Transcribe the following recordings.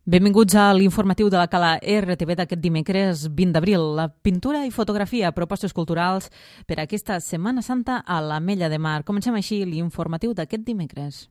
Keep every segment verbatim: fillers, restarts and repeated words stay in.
Benvinguts a l'informatiu de la Cala R T V d'aquest dimecres vint d'abril. La pintura i fotografia, propostes culturals per a aquesta Setmana Santa a l'Ametlla de Mar. Comencem així l'informatiu d'aquest dimecres.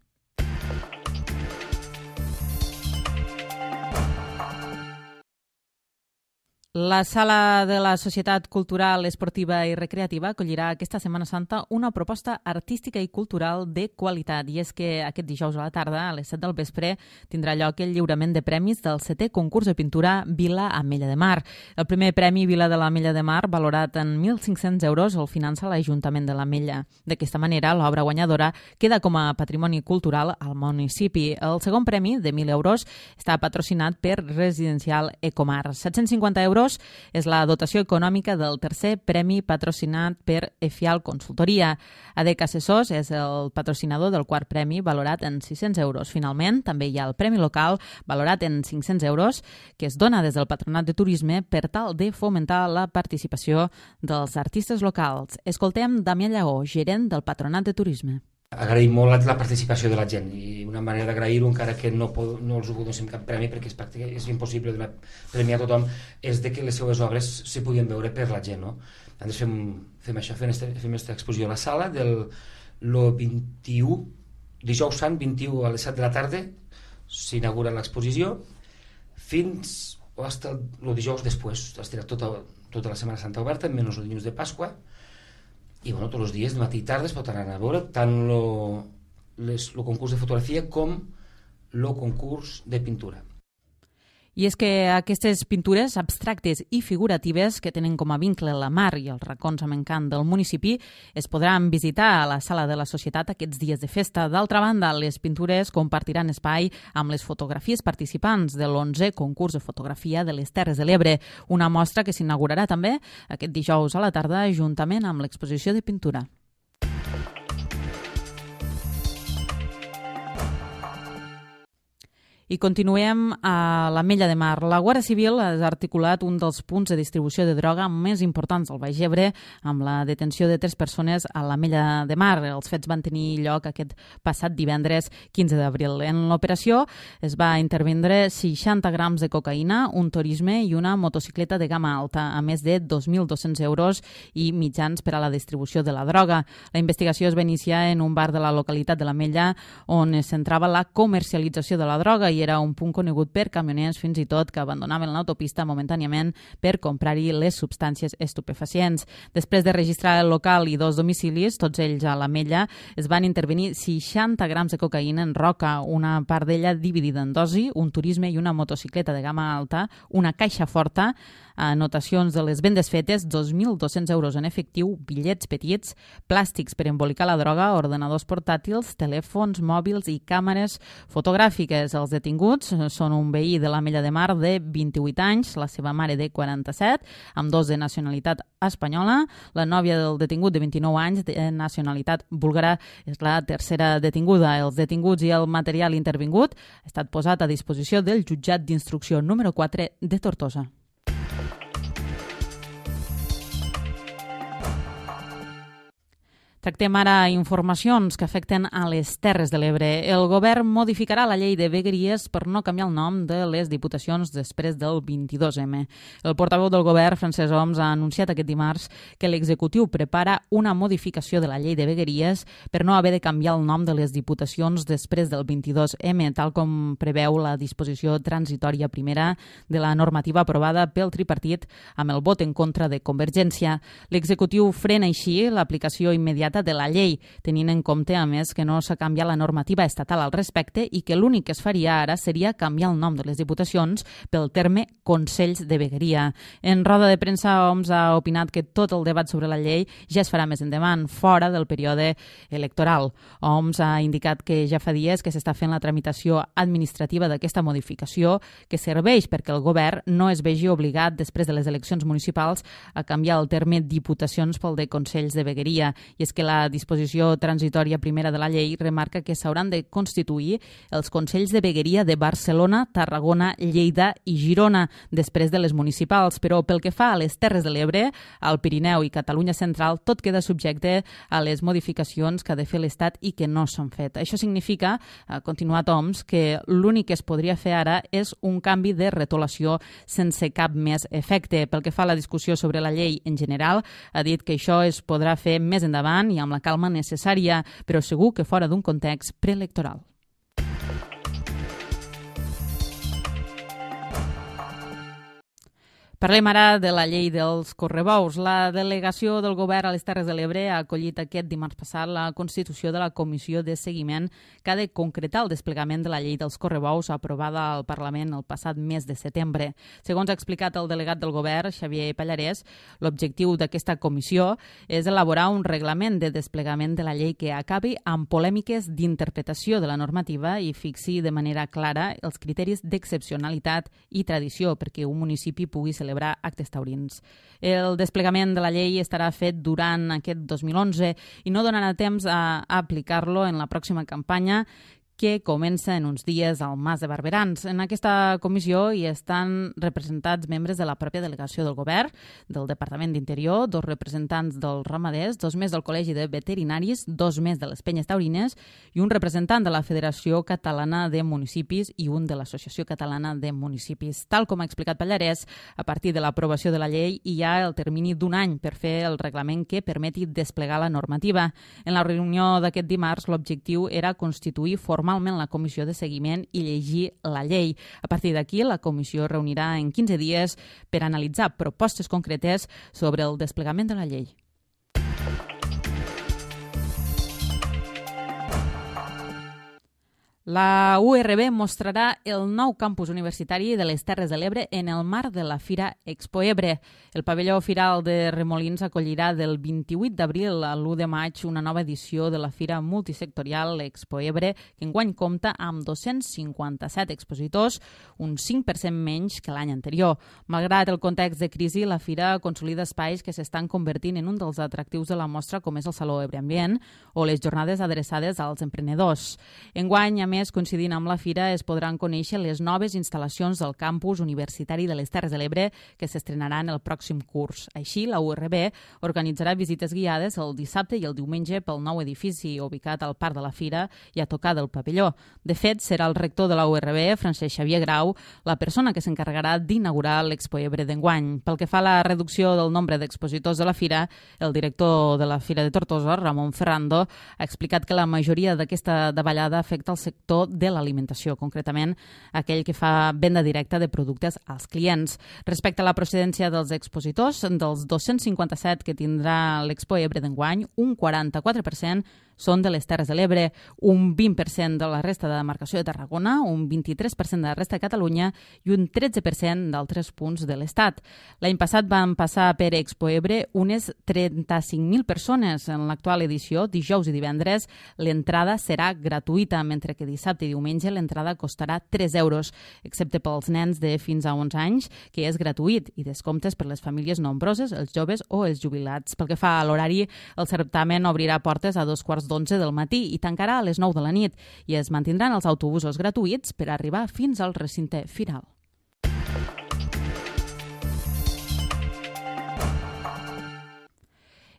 La Sala de la Societat Cultural, Esportiva i Recreativa acollirà aquesta Setmana Santa una proposta artística i cultural de qualitat. I és que aquest dijous a la tarda, a les set del vespre, tindrà lloc el lliurament de premis del setè concurs de pintura Vila Ametlla de Mar. El primer premi Vila de l'Ametlla de Mar, valorat en mil cinc-cents euros, el finança l'Ajuntament de l'Ametlla. D'aquesta manera, l'obra guanyadora queda com a patrimoni cultural al municipi. El segon premi, de mil euros, està patrocinat per Residencial Ecomar. set-cents cinquanta euros és la dotació econòmica del tercer premi patrocinat per Efial Consultoria. A D E C Assessors és el patrocinador del quart premi, valorat en sis-cents euros. Finalment, també hi ha el premi local, valorat en cinc-cents euros, que es dona des del Patronat de Turisme per tal de fomentar la participació dels artistes locals. Escoltem Damià Llagó, gerent del Patronat de Turisme. Agraïm molt la participació de la gent i una manera d'agrair-ho, encara que no, pod, no els ho donem cap premi perquè és, pràcticament, és impossible donar premi a tothom, és de que les seves obres se podien veure per la gent, no? Ens fem, fem això, fem aquesta exposició a la sala del lo vint-i-u, dijous sant, vint-i-u a les set de la tarda s'inaugura l'exposició fins o fins el dijous després, estarà tota, tota la Setmana Santa oberta, menys el dilluns de Pasqua. I bueno, tots els dies, de matí i tarda, es pot anar a veure tant el concurs de fotografia com el concurs de pintura. I és que aquestes pintures abstractes i figuratives que tenen com a vincle la mar i els racons amb encant del municipi es podran visitar a la Sala de la Societat aquests dies de festa. D'altra banda, les pintures compartiran espai amb les fotografies participants de l'onzè concurs de fotografia de les Terres de l'Ebre, una mostra que s'inaugurarà també aquest dijous a la tarda juntament amb l'exposició de pintura. I continuem a l'Ametlla de Mar. La Guàrdia Civil ha articulat un dels punts de distribució de droga més importants del Baix Ebre amb la detenció de tres persones a l'Ametlla de Mar. Els fets van tenir lloc aquest passat divendres quinze d'abril. En l'operació es va intervindre seixanta grams de cocaïna, un turisme i una motocicleta de gamma alta, a més de dos mil dos-cents euros i mitjans per a la distribució de la droga. La investigació es va iniciar en un bar de la localitat de l'Ametlla on es centrava la comercialització de la droga i era un punt conegut per camioners fins i tot que abandonaven l'autopista momentàniament per comprar-hi les substàncies estupefacients. Després de registrar el local i dos domicilis, tots ells a l'Ametlla, es van intervenir seixanta grams de cocaïna en roca, una part d'ella dividida en dosi, un turisme i una motocicleta de gamma alta, una caixa forta, anotacions de les vendes fetes, dos mil dos-cents euros en efectiu, bitllets petits, plàstics per embolicar la droga, ordenadors portàtils, telèfons mòbils i càmeres fotogràfiques. Els detinguts són un veí de l'Ametlla de Mar de vint-i-vuit anys, la seva mare de quaranta-set, amb dos de nacionalitat espanyola. La nòvia del detingut de vint-i-nou anys, de nacionalitat búlgara, és la tercera detinguda. Els detinguts i el material intervingut ha estat posat a disposició del jutjat d'instrucció número quatre de Tortosa. Tractem ara informacions que afecten a les Terres de l'Ebre. El govern modificarà la llei de vegueries per no canviar el nom de les diputacions després del vint-i-dos eme. El portaveu del govern, Francesc Homs, ha anunciat aquest dimarts que l'executiu prepara una modificació de la llei de vegueries per no haver de canviar el nom de les diputacions després del vint-i-dos eme, tal com preveu la disposició transitòria primera de la normativa aprovada pel tripartit amb el vot en contra de Convergència. L'executiu frena així l'aplicació immediata de la llei, tenint en compte, a més, que no s'ha canviat la normativa estatal al respecte i que l'únic que es faria ara seria canviar el nom de les diputacions pel terme Consells de Vegueria. En roda de premsa, Homs ha opinat que tot el debat sobre la llei ja es farà més endavant, fora del període electoral. Homs ha indicat que ja fa dies que s'està fent la tramitació administrativa d'aquesta modificació que serveix perquè el govern no es vegi obligat, després de les eleccions municipals, a canviar el terme diputacions pel de Consells de Vegueria. I és que que la disposició transitòria primera de la llei remarca que s'hauran de constituir els Consells de Vegueria de Barcelona, Tarragona, Lleida i Girona, després de les municipals, però pel que fa a les Terres de l'Ebre, al Pirineu i Catalunya Central, tot queda subjecte a les modificacions que ha de fer l'Estat i que no s'han fet. Això significa, ha continuat Oms, que l'únic que es podria fer ara és un canvi de retolació sense cap més efecte. Pel que fa a la discussió sobre la llei en general, ha dit que això es podrà fer més endavant i amb la calma necessària, però segur que fora d'un context preelectoral. Parlem ara de la llei dels correbous. La delegació del govern a les Terres de l'Ebre ha acollit aquest dimarts passat la constitució de la comissió de seguiment que ha de concretar el desplegament de la llei dels correbous aprovada al Parlament el passat mes de setembre. Segons ha explicat el delegat del govern, Xavier Pallarès, l'objectiu d'aquesta comissió és elaborar un reglament de desplegament de la llei que acabi amb polèmiques d'interpretació de la normativa i fixi de manera clara els criteris d'excepcionalitat i tradició perquè un municipi pugui celebrar actes taurins. El desplegament de la llei estarà fet durant aquest dos mil onze i no donarà temps a aplicar-lo en la pròxima campanya que comença en uns dies al Mas de Barberans. En aquesta comissió hi estan representats membres de la pròpia delegació del govern, del Departament d'Interior, dos representants dels ramaders, dos més del Col·legi de Veterinaris, dos més de les Penyes Taurines i un representant de la Federació Catalana de Municipis i un de l'Associació Catalana de Municipis. Tal com ha explicat Pallarès, a partir de l'aprovació de la llei hi ha el termini d'un any per fer el reglament que permeti desplegar la normativa. En la reunió d'aquest dimarts, l'objectiu era constituir formalment la comissió de seguiment i llegir la llei. A partir d'aquí, la comissió reunirà en quinze dies per analitzar propostes concretes sobre el desplegament de la llei. La U R B mostrarà el nou campus universitari de les Terres de l'Ebre en el marc de la Fira Expo Ebre. El pavelló firal de Remolins acollirà del vint-i-vuit d'abril a l'u de maig una nova edició de la Fira Multisectorial Expo Ebre, que enguany compta amb dos-cents cinquanta-set expositors, un cinc per cent menys que l'any anterior. Malgrat el context de crisi, la Fira consolida espais que s'estan convertint en un dels atractius de la mostra, com és el Saló Ebre Ambient o les jornades adreçades als emprenedors. Enguany, a més, coincidint amb la Fira, es podran conèixer les noves instal·lacions del campus universitari de les Terres de l'Ebre que s'estrenaran el pròxim curs. Així, la U R B organitzarà visites guiades el dissabte i el diumenge pel nou edifici ubicat al Parc de la Fira i a tocar del pavelló. De fet, serà el rector de la U R B, Francesc Xavier Grau, la persona que s'encarregarà d'inaugurar l'Expo Ebre d'enguany. Pel que fa a la reducció del nombre d'expositors de la Fira, el director de la Fira de Tortosa, Ramon Ferrando, ha explicat que la majoria d'aquesta davallada afecta el sector de l'alimentació, concretament aquell que fa venda directa de productes als clients. Respecte a la procedència dels expositors, dels dos-cents cinquanta-set que tindrà l'Expo Ebre d'enguany, un quaranta-quatre per cent són de les Terres de l'Ebre, un vint per cent de la resta de demarcació de Tarragona, un vint-i-tres per cent de la resta de Catalunya i un tretze per cent d'altres punts de l'Estat. L'any passat van passar per Expo Ebre unes trenta-cinc mil persones. En l'actual edició, dijous i divendres, l'entrada serà gratuïta, mentre que dissabte i diumenge l'entrada costarà tres euros, excepte pels nens de fins a onze anys, que és gratuït, i descomptes per les famílies nombroses, els joves o els jubilats. Pel que fa a l'horari, el certamen obrirà portes a dos quarts d'onze del matí i tancarà a les nou de la nit i es mantindran els autobusos gratuïts per arribar fins al recinte firal.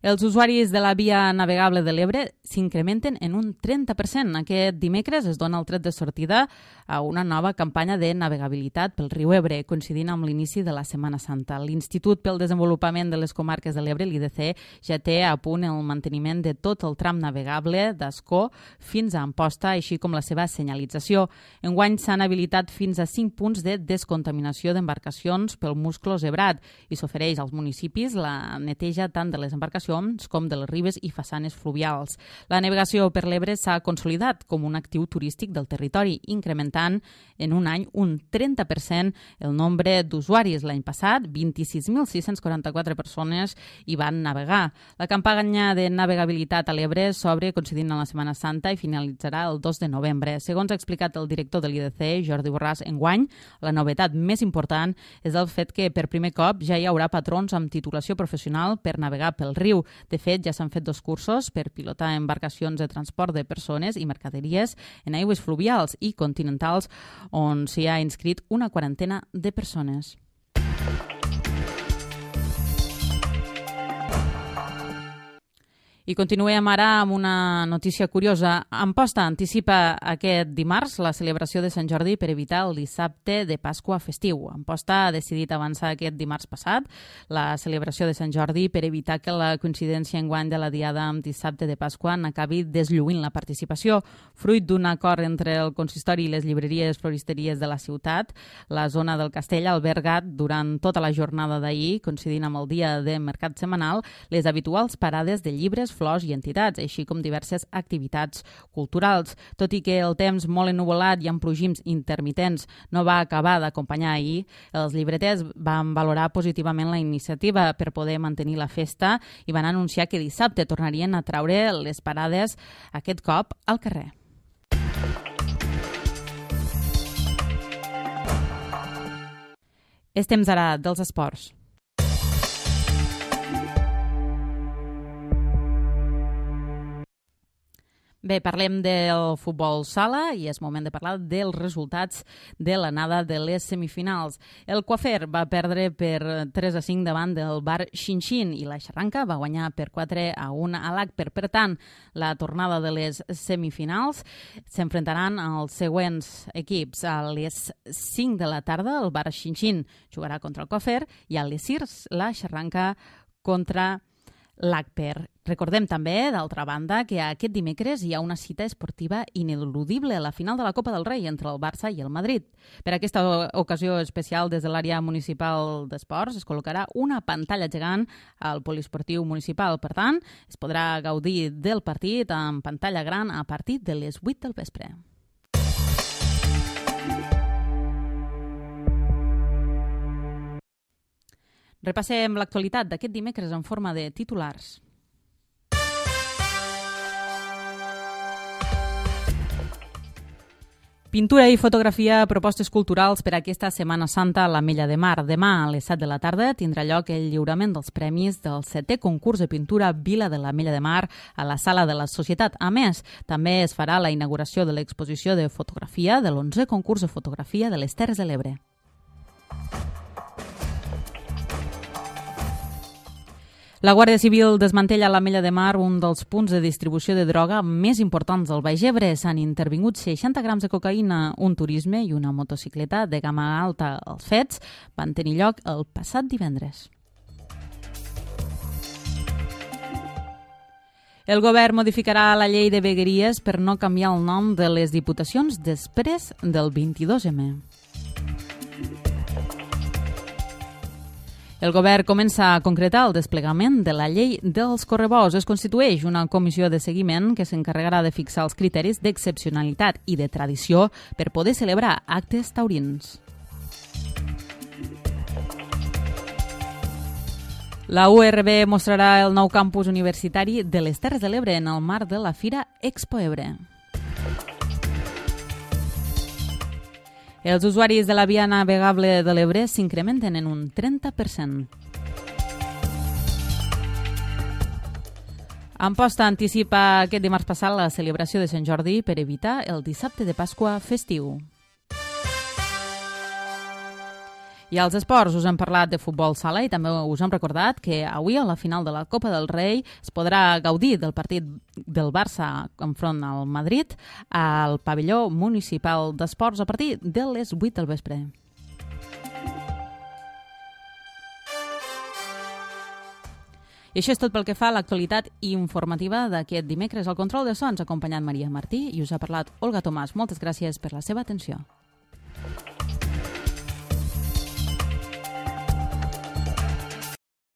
Els usuaris de la via navegable de l'Ebre s'incrementen en un trenta per cent. Aquest dimecres es dona el tret de sortida a una nova campanya de navegabilitat pel riu Ebre, coincidint amb l'inici de la Setmana Santa. L'Institut pel Desenvolupament de les Comarques de l'Ebre, l'I D C, ja té a punt el manteniment de tot el tram navegable d'Ascó fins a Amposta, així com la seva senyalització. Enguany s'han habilitat fins a cinc punts de descontaminació d'embarcacions pel musclos ebrat i s'ofereix als municipis la neteja tant de les embarcacions com de les ribes i façanes fluvials. La navegació per l'Ebre s'ha consolidat com un actiu turístic del territori, incrementant en un any un trenta per cent el nombre d'usuaris. L'any passat, vint-i-sis mil sis-cents quaranta-quatre persones hi van navegar. La campanya de navegabilitat a l'Ebre s'obre coincidint amb la Setmana Santa i finalitzarà el dos de novembre. Segons ha explicat el director de l'I D C, Jordi Borràs, enguany, la novetat més important és el fet que per primer cop ja hi haurà patrons amb titulació professional per navegar pel riu. festiu. De fet, ja s'han fet dos cursos per pilotar embarcacions de transport de persones i mercaderies en aigües fluvials i continentals, on s'hi ha inscrit una quarantena de persones. I continuem ara amb una notícia curiosa. Amposta anticipa aquest dimarts la celebració de Sant Jordi per evitar el dissabte de Pasqua festiu. Amposta ha decidit avançar aquest dimarts passat la celebració de Sant Jordi per evitar que la coincidència enguany de la diada amb dissabte de Pasqua n'acabi deslluint la participació. Fruit d'un acord entre el consistori i les llibreries floristeries de la ciutat, la zona del castell ha albergat durant tota la jornada d'ahir, coincidint amb el dia de mercat setmanal, les habituals parades de llibres, flors i entitats, així com diverses activitats culturals. Tot i que el temps molt ennuvolat i amb plogims intermitents no va acabar d'acompanyar ahir, els llibreters van valorar positivament la iniciativa per poder mantenir la festa i van anunciar que dissabte tornarien a traure les parades, aquest cop al carrer. És temps ara dels esports. Bé, parlem del futbol sala i és moment de parlar dels resultats de l'anada de les semifinals. El Coafer va perdre per tres a cinc davant del Bar Xinxin i la Xarranca va guanyar per quatre a un a l'Agper. Per tant, la tornada de les semifinals s'enfrontaran als següents equips. A les cinc de la tarda el Bar Xinxin jugarà contra el Coafer i a les sis la Xarranca contra l'Agper. Recordem també, d'altra banda, que aquest dimecres hi ha una cita esportiva ineludible a la final de la Copa del Rei entre el Barça i el Madrid. Per aquesta ocasió especial, des de l'àrea municipal d'esports, es col·locarà una pantalla gegant al poliesportiu municipal. Per tant, es podrà gaudir del partit en pantalla gran a partir de les vuit del vespre. Repassem l'actualitat d'aquest dimecres en forma de titulars. Pintura i fotografia, propostes culturals per a aquesta Setmana Santa a l'Ametlla de Mar. Demà a les set de la tarda tindrà lloc el lliurament dels premis del setè concurs de pintura Vila de l'Ametlla de Mar a la Sala de la Societat. A més, també es farà la inauguració de l'exposició de fotografia de l'onzè concurs de fotografia de les Terres de l'Ebre. La Guàrdia Civil desmantella a l'Ametlla de Mar un dels punts de distribució de droga més importants del Baix Ebre. S'han intervingut seixanta grams de cocaïna, un turisme i una motocicleta de gamma alta. Els fets van tenir lloc el passat divendres. El govern modificarà la llei de vegueries per no canviar el nom de les diputacions després del vint-i-dos eme. El govern comença a concretar el desplegament de la llei dels correbous. Es constitueix una comissió de seguiment que s'encarregarà de fixar els criteris d'excepcionalitat i de tradició per poder celebrar actes taurins. La U R B mostrarà el nou campus universitari de les Terres de l'Ebre en el marc de la Fira Expo Ebre. Els usuaris de la via navegable de l'Ebre s'incrementen en un trenta per cent. Amposta anticipa aquest dimarts passat la celebració de Sant Jordi per evitar el dissabte de Pasqua festiu. I als esports us hem parlat de futbol sala i també us hem recordat que avui a la final de la Copa del Rei es podrà gaudir del partit del Barça enfront al Madrid al pavelló municipal d'esports a partir de les vuit del vespre. I això és tot pel que fa a l'actualitat informativa d'aquest dimecres. Al control de so ens ha acompanyat Maria Martí i us ha parlat Olga Tomàs. Moltes gràcies per la seva atenció.